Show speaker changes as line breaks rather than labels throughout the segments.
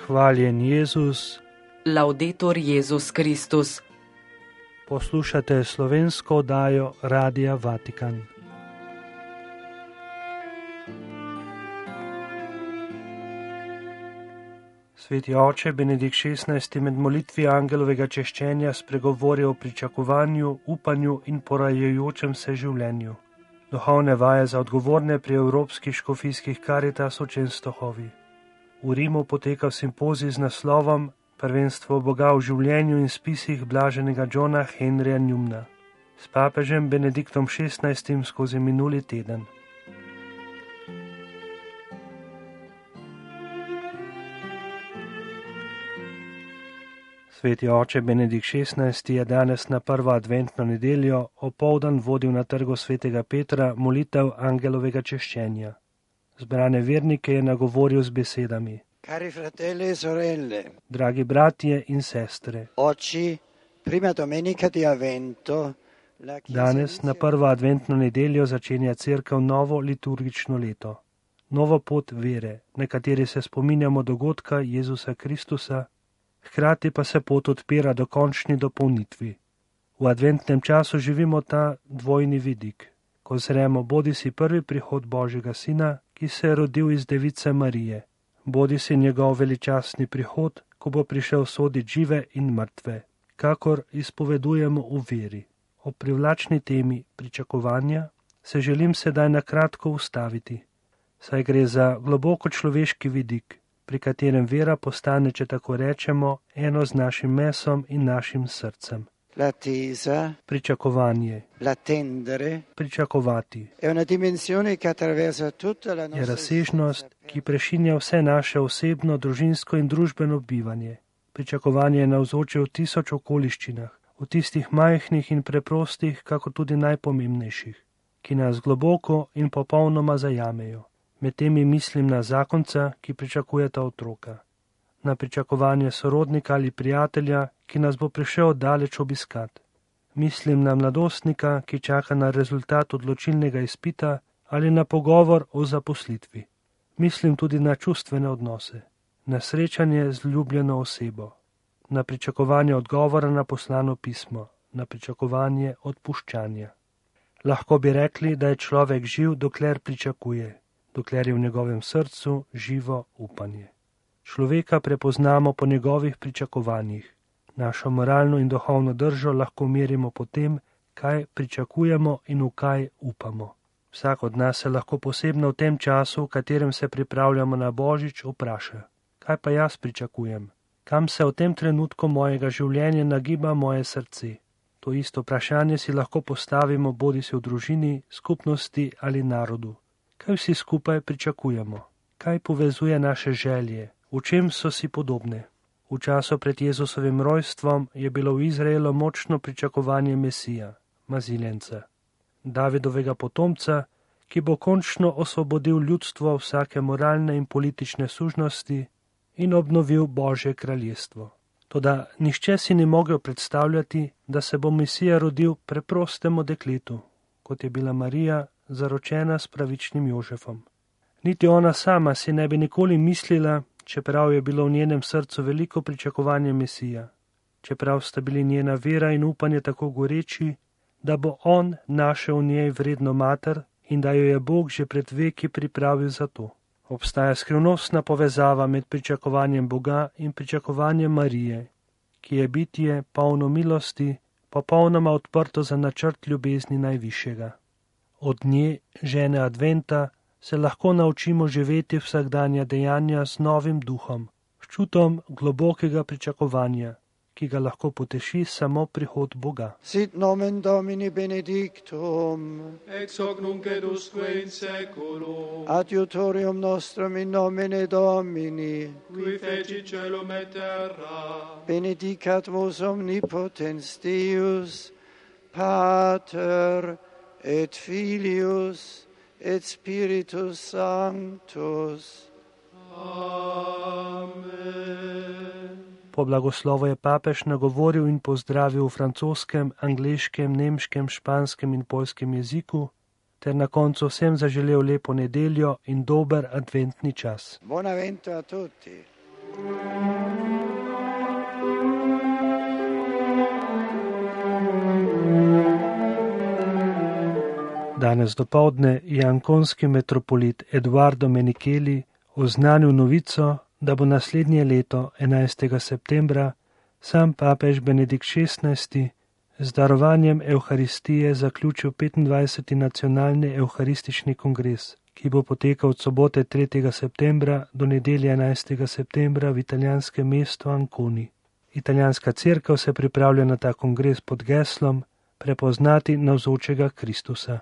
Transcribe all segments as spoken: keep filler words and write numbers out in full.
Hvaljen Jezus.
Laudetur Jezus Kristus.
Poslušate slovensko oddajo Radia Vatikan. Sveti oče Benedikt šestnajsti med molitvi angelovega češčenja spregovori o pričakovanju, upanju in porajajočem se življenju. Duhovne vaje za odgovorne pri evropskih škofijskih Karitas v Čenstohovi. V Rimu poteka simpozij z naslovom Prvenstvo Boga v življenju in spisih blaženega Johna Henrya Newmana s papežem Benediktom šestnajstim skozi minuli teden. Sveti oče Benedikt šestnajsti je danes na prvo adventno nedeljo opoldan vodil na trgu svetega Petra molitev angelovega češčenja. Zbrane vernike je nagovoril z besedami:
Cari fratelli e sorelle,
dragi bratje in sestre,
oggi, prima domenica di Avvento, la Chiesa
danes na prvo adventno nedeljo začenja cerkev novo liturgično leto, novo pot vere, na kateri se spominjamo dogodka Jezusa Kristusa, hkrati pa se pot odpira do končni dopolnitvi. V adventnem času živimo ta dvojni vidik, ko zremo bodisi prvi prihod Božjega Sina, ki se je rodil iz device Marije, bodisi njegov veličastni prihod, ko bo prišel sodit žive in mrtve, kakor izpovedujemo v veri. O privlačni temi pričakovanja se želim sedaj na kratko ustaviti, saj gre za globoko človeški vidik, pri katerem vera postane, če tako rečemo, eno z našim mesom in našim srcem.
L'attesa,
Pričakovanje,
l'attendere,
pričakovati,
è una dimensione che attraversa tutta la
je
nostra
razsežnost,
esistenza.
ki prešinja vse naše osebno, družinsko in družbeno bivanje. Pričakovanje je navzoče v tisoč okoliščinah, v tistih majhnih in preprostih, kako tudi najpomembnejših, ki nas globoko in popolnoma zajamejo. Med temi mislim na zakonca, ki pričakujeta otroka, na pričakovanje sorodnika ali prijatelja, ki nas bo prišel daleč obiskat. Mislim na mladostnika, ki čaka na rezultat odločilnega izpita ali na pogovor o zaposlitvi. Mislim tudi na čustvene odnose, na srečanje z ljubljeno osebo, na pričakovanje odgovora na poslano pismo, na pričakovanje odpuščanja. Lahko bi rekli, da je človek živ, dokler pričakuje, dokler je v njegovem srcu živo upanje. Človeka prepoznamo po njegovih pričakovanjih. Našo moralno in duhovno držo lahko merimo po tem, kaj pričakujemo in v kaj upamo. Vsak od nas se lahko posebno v tem času, v katerem se pripravljamo na Božič, vpraša: kaj pa jaz pričakujem? Kam se v tem trenutku mojega življenja nagiba moje srce? To isto vprašanje si lahko postavimo bodisi v družini, skupnosti ali narodu. Kaj vsi skupaj pričakujemo? Kaj povezuje naše želje? V čem so si podobne? V času pred Jezusovim rojstvom je bilo v Izraelu močno pričakovanje Mesija, Maziljenca, Davidovega potomca, ki bo končno osvobodil ljudstvo vsake moralne in politične sužnosti in obnovil Božje kraljestvo. Toda nihče si ni mogel predstavljati, da se bo Mesija rodil preprostemu dekletu, kot je bila Marija, zaročena s pravičnim Jožefom. Niti ona sama si ne bi nikoli mislila, čeprav je bilo v njenem srcu veliko pričakovanje Mesija, čeprav sta bili njena vera in upanje tako goreči, da bo on našel v njej vredno mater in da jo je Bog že pred veki pripravil za to. Obstaja skrivnostna povezava med pričakovanjem Boga in pričakovanjem Marije, ki je bitje polno milosti, popolnoma odprto za načrt ljubezni najvišjega. Od nje, žene Adventa, se lahko naučimo živeti vsakdanja dejanja z novim duhom, s čutom globokega pričakovanja, ki ga lahko poteši samo prihod Boga.
Sit nomen Domini benedictum,
ex hoc nunc et usque in seculum,
adiutorium nostrum in nomine Domini,
qui feci caelum et terra,
benedicat vos omnipotens Deus, Pater et Filius et Spiritus Sanctus.
Amen.
Po blagoslovu je papež nagovoril in pozdravil v francoskem, angleškem, nemškem, španskem in poljskem jeziku, ter na koncu vsem zaželel lepo nedeljo in dober adventni čas.
Buon Avvento a tutti.
Danes dopoldne je ankonski metropolit Eduardo Menichelli oznanil novico, da bo naslednje leto, enajstega septembra, sam papež Benedikt šestnajsti z darovanjem Evharistije zaključil petindvajseti nacionalni evharistični kongres, ki bo potekal od sobote tretjega septembra do nedelje enajstega septembra v italijanskem mestu Anconi. Italijanska cerkev se pripravlja na ta kongres pod geslom Prepoznati navzočega Kristusa.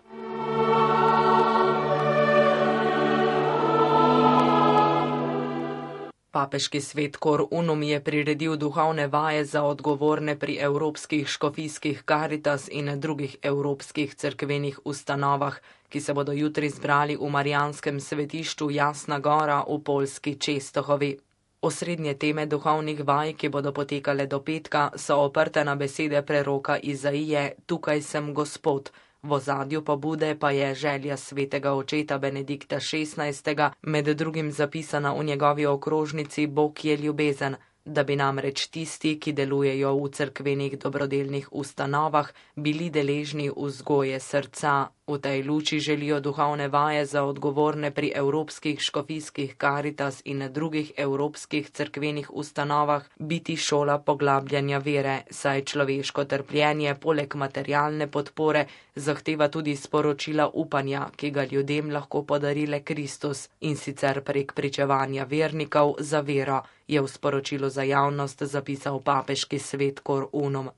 Papeški svet Cor Unum je priredil duhovne vaje za odgovorne pri evropskih škofijskih Caritas in drugih evropskih cerkvenih ustanovah, ki se bodo jutri zbrali v Marijanskem svetišču Jasna Gora v poljski Čestohovi. Osrednje teme duhovnih vaj, ki bodo potekale do petka, so oprte na besede preroka Izaije: Tukaj sem Gospod. V ozadju pobude pa je želja svetega očeta Benedikta šestnajstega, med drugim zapisana v njegovi okrožnici Bog je ljubezen, da bi namreč tisti, ki delujejo v cerkvenih dobrodelnih ustanovah, bili deležni vzgoje srca. V tej luči želijo duhovne vaje za odgovorne pri evropskih škofijskih Caritas in drugih evropskih cerkvenih ustanovah biti šola poglabljanja vere, saj človeško trpljenje poleg materialne podpore zahteva tudi sporočila upanja, ki ga ljudem lahko podari le Kristus, in sicer prek pričevanja vernikov za vero, je v sporočilu za javnost zapisal papeški svet Cor Unum.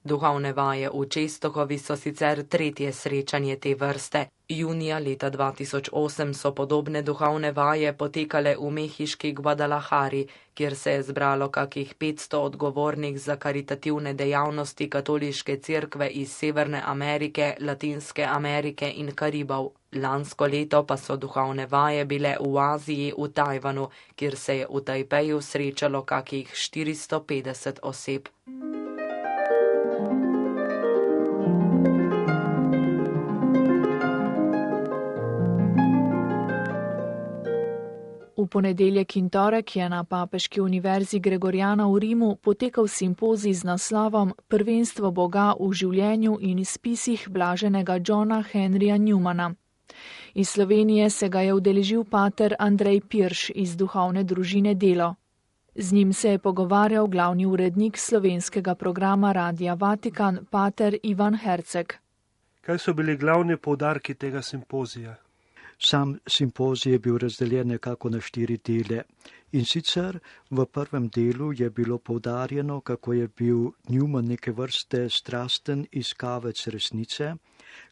Duhovne vaje v Čestohovi so sicer tretje srečanje te vrste. Junija leta dva tisoč osem so podobne duhovne vaje potekale v mehiški Guadalajari, kjer se je zbralo kakih petsto odgovornih za karitativne dejavnosti katoliške cerkve iz Severne Amerike, Latinske Amerike in Karibov. Lansko leto pa so duhovne vaje bile v Aziji, v Tajvanu, kjer se je v Tajpeju srečalo kakih štiristo petdeset oseb.
V ponedeljek in torek je na Papeški univerzi Gregoriana v Rimu potekal simpozij z naslovom Prvenstvo Boga v življenju in spisih blaženega Johna Henryja Newmana. Iz Slovenije se ga je udeležil pater Andrej Pirš iz duhovne družine Delo. Z njim se je pogovarjal glavni urednik slovenskega programa Radia Vatikan, pater Ivan Herceg.
Kaj so bili glavni poudarki tega simpozija?
Sam simpozij je bil razdeljen nekako na štiri dele. In sicer v prvem delu je bilo poudarjeno, kako je bil Newman neke vrste strasten iskavec resnice,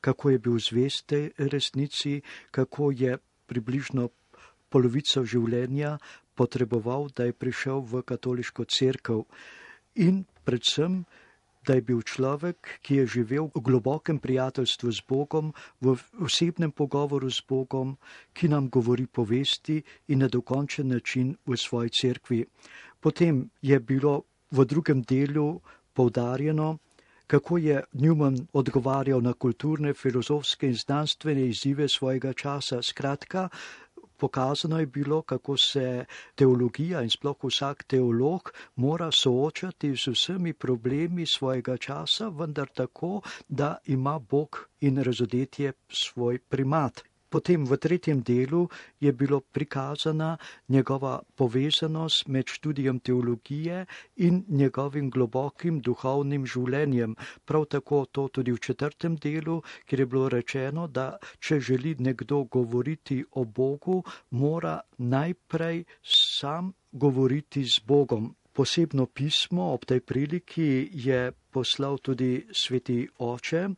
kako je bil zvest resnici, kako je približno polovico življenja potreboval, da je prišel v katoliško cerkev. In predvsem, da je bil človek, ki je živel v globokem prijateljstvu z Bogom, v osebnem pogovoru z Bogom, ki nam govori povesti in na dokončen način v svoji cerkvi. Potem je bilo v drugem delu poudarjeno, kako je Newman odgovarjal na kulturne, filozofske in znanstvene izzive svojega časa. Skratka, pokazano je bilo, kako se teologija in sploh vsak teolog mora soočati z vsemi problemi svojega časa, vendar tako, da ima Bog in razodetje svoj primat. Potem v tretjem delu je bilo prikazana njegova povezanost med študijem teologije in njegovim globokim duhovnim življenjem. Prav tako to tudi v četrtem delu, kjer je bilo rečeno, da če želi nekdo govoriti o Bogu, mora najprej sam govoriti z Bogom. Posebno pismo ob tej priliki je poslal tudi sveti oče,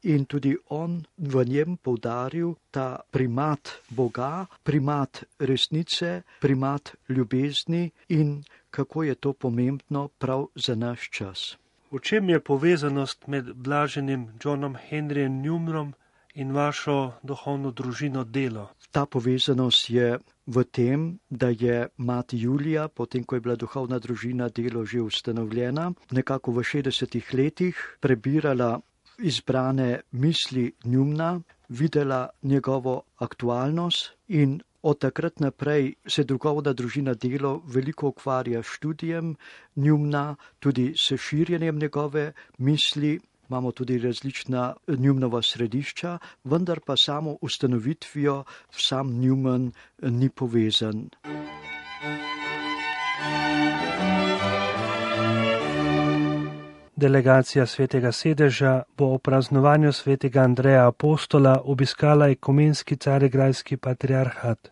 in tudi on v njem poudaril ta primat Boga, primat resnice, primat ljubezni in kako je to pomembno prav za naš čas.
V čem je povezanost med blaženim Johnom Henryjem Newmanom in vašo duhovno družino Delo?
Ta povezanost je v tem, da je mati Julija, potem ko je bila duhovna družina Delo že ustanovljena, nekako v šestdesetih letih prebirala izbrane misli Newmana, videla njegovo aktualnost in Od takrat naprej se duhovna družina Delo veliko ukvarja s študijem Newmana, tudi s širjenjem njegove misli. Imamo tudi različna Newmanova središča, vendar pa samo ustanovitvijo sam Newman ni povezan.
Delegacija Svetega sedeža bo o praznovanju Svetega Andreja Apostola obiskala ekumenski carigrajski patriarhat.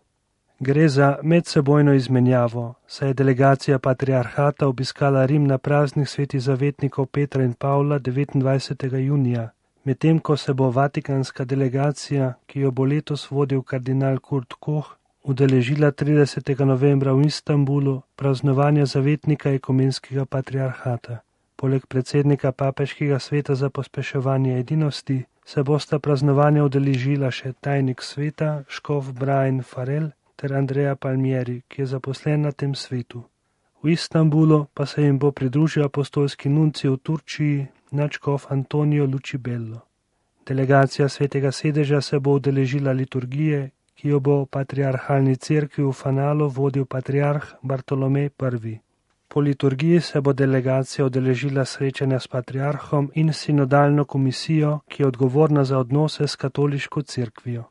Gre za medsebojno izmenjavo, saj je delegacija patriarhata obiskala Rim na praznih svetih zavetnikov Petra in Pavla devetindvajsetega junija, medtem ko se bo vatikanska delegacija, ki jo bo letos vodil kardinal Kurt Koch, udeležila tridesetega novembra v Istanbulu praznovanja zavetnika ekumenskega patriarhata. Poleg predsednika papeškega sveta za pospeševanje edinosti se bosta praznovanja udeležila še tajnik sveta, škof Brian Farrell ter Andrea Palmieri, ki je zaposlen na tem svetu. V Istanbulu pa se jim bo pridružil apostolski nuncij v Turčiji, nadškof Antonio Lucibello. Delegacija Svetega sedeža se bo udeležila liturgije, ki jo bo v patriarhalni cerkvi v Fanalu vodil patriarh Bartolomej prvi. Po liturgiji se bo delegacija udeležila srečanja s patriarhom in sinodalno komisijo, ki je odgovorna za odnose s katoliško cerkvijo.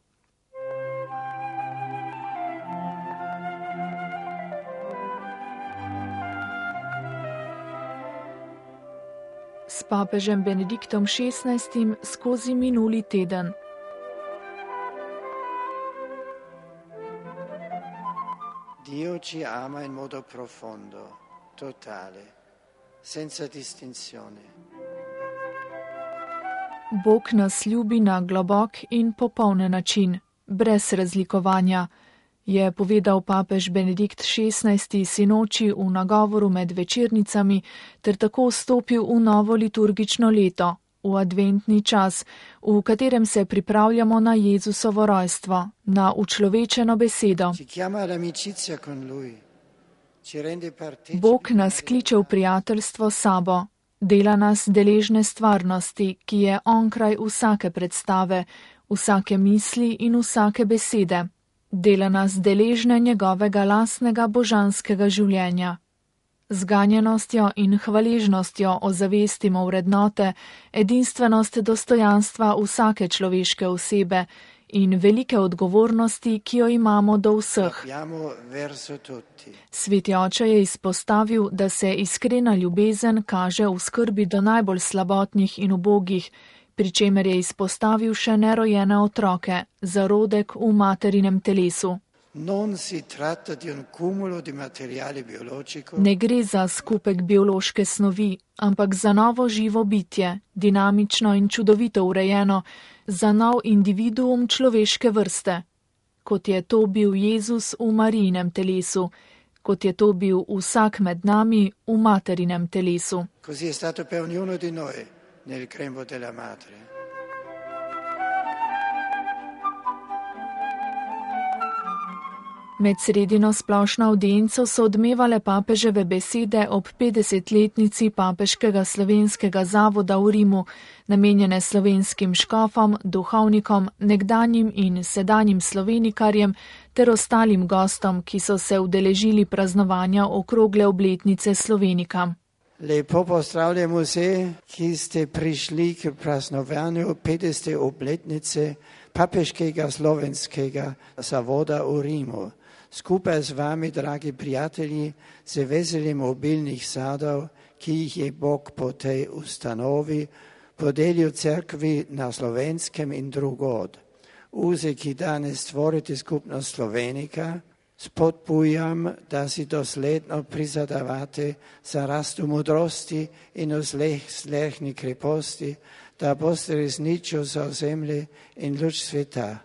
S papežem Benediktom šestnajstim skozi minuli teden.
Dio ci ama in modo profondo, totale, senza distinzione.
Bog nas ljubi na globok in popoln način, brez razlikovanja, je povedal papež Benedikt šestnajsti sinoči v nagovoru med večernicami ter tako vstopil v novo liturgično leto, v adventni čas, v katerem se pripravljamo na Jezusovo rojstvo, na učlovečeno besedo. Bog nas kliče v prijateljstvo s sabo, dela nas deležne stvarnosti, ki je onkraj vsake predstave, vsake misli in vsake besede. Dela nas deležne njegovega lastnega božanskega življenja. Z ganjenostjo in hvaležnostjo ozavestimo vrednote, edinstvenost dostojanstva vsake človeške osebe in velike odgovornosti, ki jo imamo do vseh. Sveti oče je izpostavil, da se iskrena ljubezen kaže v skrbi do najbolj slabotnih in ubogih, pri čemer je izpostavil še nerojene otroke, zarodek v materinem telesu. Ne gre za skupek biološke snovi, ampak za novo živo bitje, dinamično in čudovito urejeno, za nov individuum človeške vrste, kot je to bil Jezus v Marijinem telesu, kot je to bil vsak med nami v materinem telesu.
Nel grembo della madre.
Med sredino splošno avdienco so odmevale papeževe besede ob petdesetletnici papeškega slovenskega zavoda v Rimu, namenjene slovenskim škofom, duhovnikom, nekdanjim in sedanjim slovenikarjem ter ostalim gostom, ki so se udeležili praznovanja okrogle obletnice slovenika.
Lepo pozdravljam vse, ki ste prišli k praznovanju petdesete obletnice papeškega slovenskega zavoda v Rimu. Skupaj z vami, dragi prijatelji, se veselim obilnih sadov, ki jih je Bog po tej ustanovi podelil cerkvi na Slovenskem in drugod. Vsi, ki danes stvorite skupnost Slovenika, spodbujam, da si dosledno prizadevate za rast v modrosti in v slehni kreposti, da boste resnično za ozemlje in luč sveta.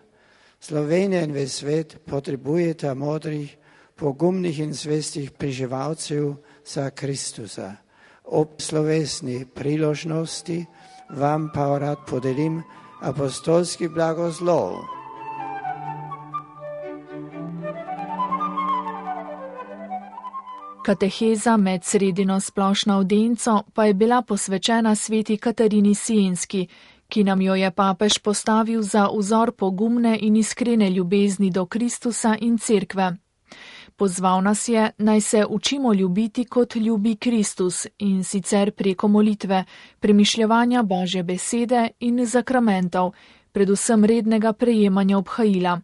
Slovenija in ves svet potrebujeta modrih, pogumnih in zvestih preživalcev za Kristusa. Ob slovesni priložnosti vam pa rad podelim apostolski blagoslov.
Kateheza med sredino splošno avdienco pa je bila posvečena sveti Katarini Sienski, ki nam jo je papež postavil za vzor pogumne in iskrene ljubezni do Kristusa in Cerkve. Pozval nas je, naj se učimo ljubiti, kot ljubi Kristus, in sicer preko molitve, premišljevanja Božje besede in zakramentov, predvsem rednega prejemanja obhajila.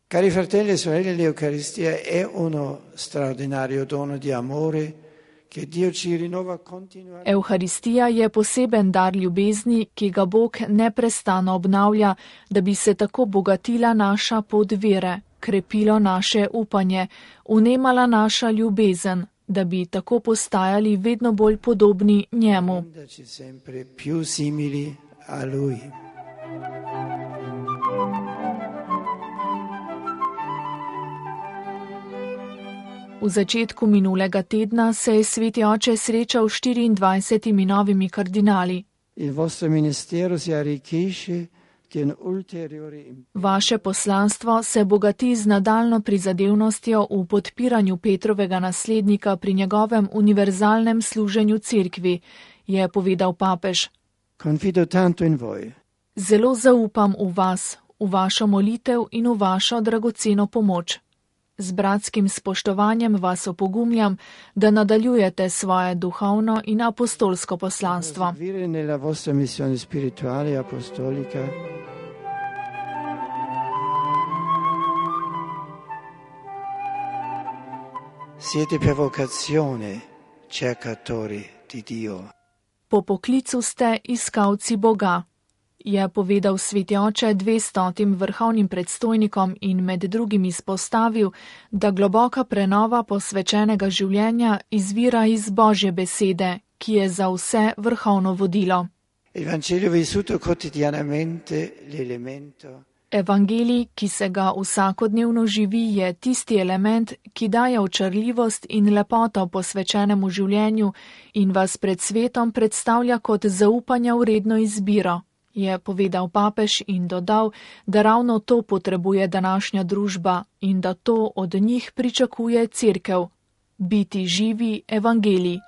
Cari fratelli e sorelle, l'Eucaristia è uno straordinario dono di amore che Dio ci rinnova continuamente.
Euharistija je poseben dar ljubezni, ki ga Bog neprestano obnavlja, da bi se tako bogatila naša pot vere, krepilo naše upanje, vnemala naša ljubezen, da bi tako postajali vedno bolj podobni njemu.
Sempre più simili a lui.
V začetku minulega tedna se je sveti oče srečal s štiriindvajsetimi novimi kardinali. Vaše poslanstvo se bogati z nadaljno prizadevnostjo v podpiranju Petrovega naslednika pri njegovem univerzalnem služenju Cerkvi, je povedal papež. Zelo zaupam v vas, v vašo molitev in v vašo dragoceno pomoč. Z bratskim spoštovanjem vas opogumljam, da nadaljujete svoje duhovno in apostolsko poslanstvo.
Siete per vocazione cercatori di Dio.
Po poklicu ste iskalci Boga, je povedal sveti oče dvestotim vrhovnim predstojnikom in med drugim izpostavil, da globoka prenova posvečenega življenja izvira iz Božje besede, ki je za vse vrhovno vodilo. Evangelij, ki se ga vsakodnevno živi, je tisti element, ki daje očarljivost in lepoto posvečenemu življenju in vas pred svetom predstavlja kot zaupanja vredno izbiro, je povedal papež in dodal, da ravno to potrebuje današnja družba in da to od njih pričakuje Cerkev. Biti živi evangelij.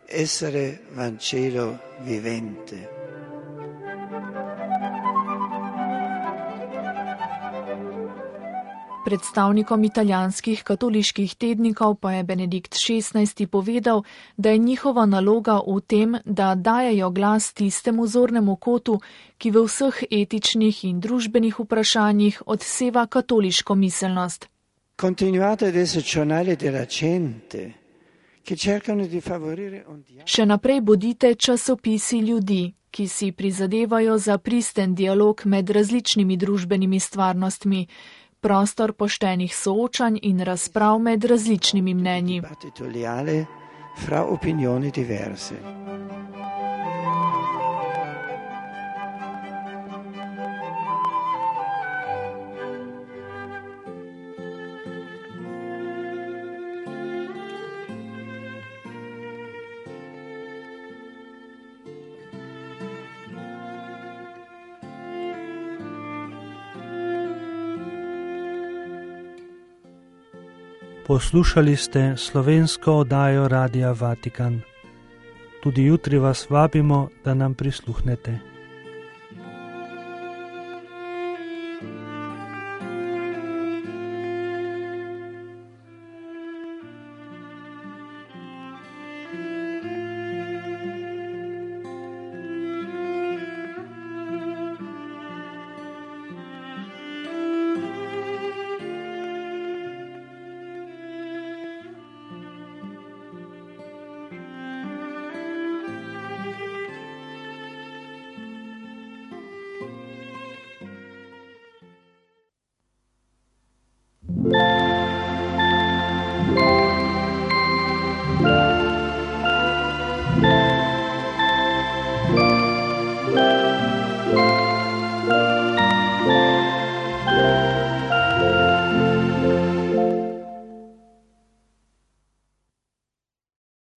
Essere Vangelo vivente.
Predstavnikom italijanskih katoliških tednikov pa je Benedikt šestnajsti povedal, da je njihova naloga v tem, da dajejo glas tistemu zornemu kotu, ki v vseh etičnih in družbenih vprašanjih odseva katoliško miselnost. Še naprej bodite časopisi ljudi, ki si prizadevajo za pristen dialog med različnimi družbenimi stvarnostmi, prostor poštenih soočanj in razprav med različnimi mnenji.
Poslušali ste slovensko oddajo Radia Vatikan. Tudi jutri vas vabimo, da nam prisluhnete.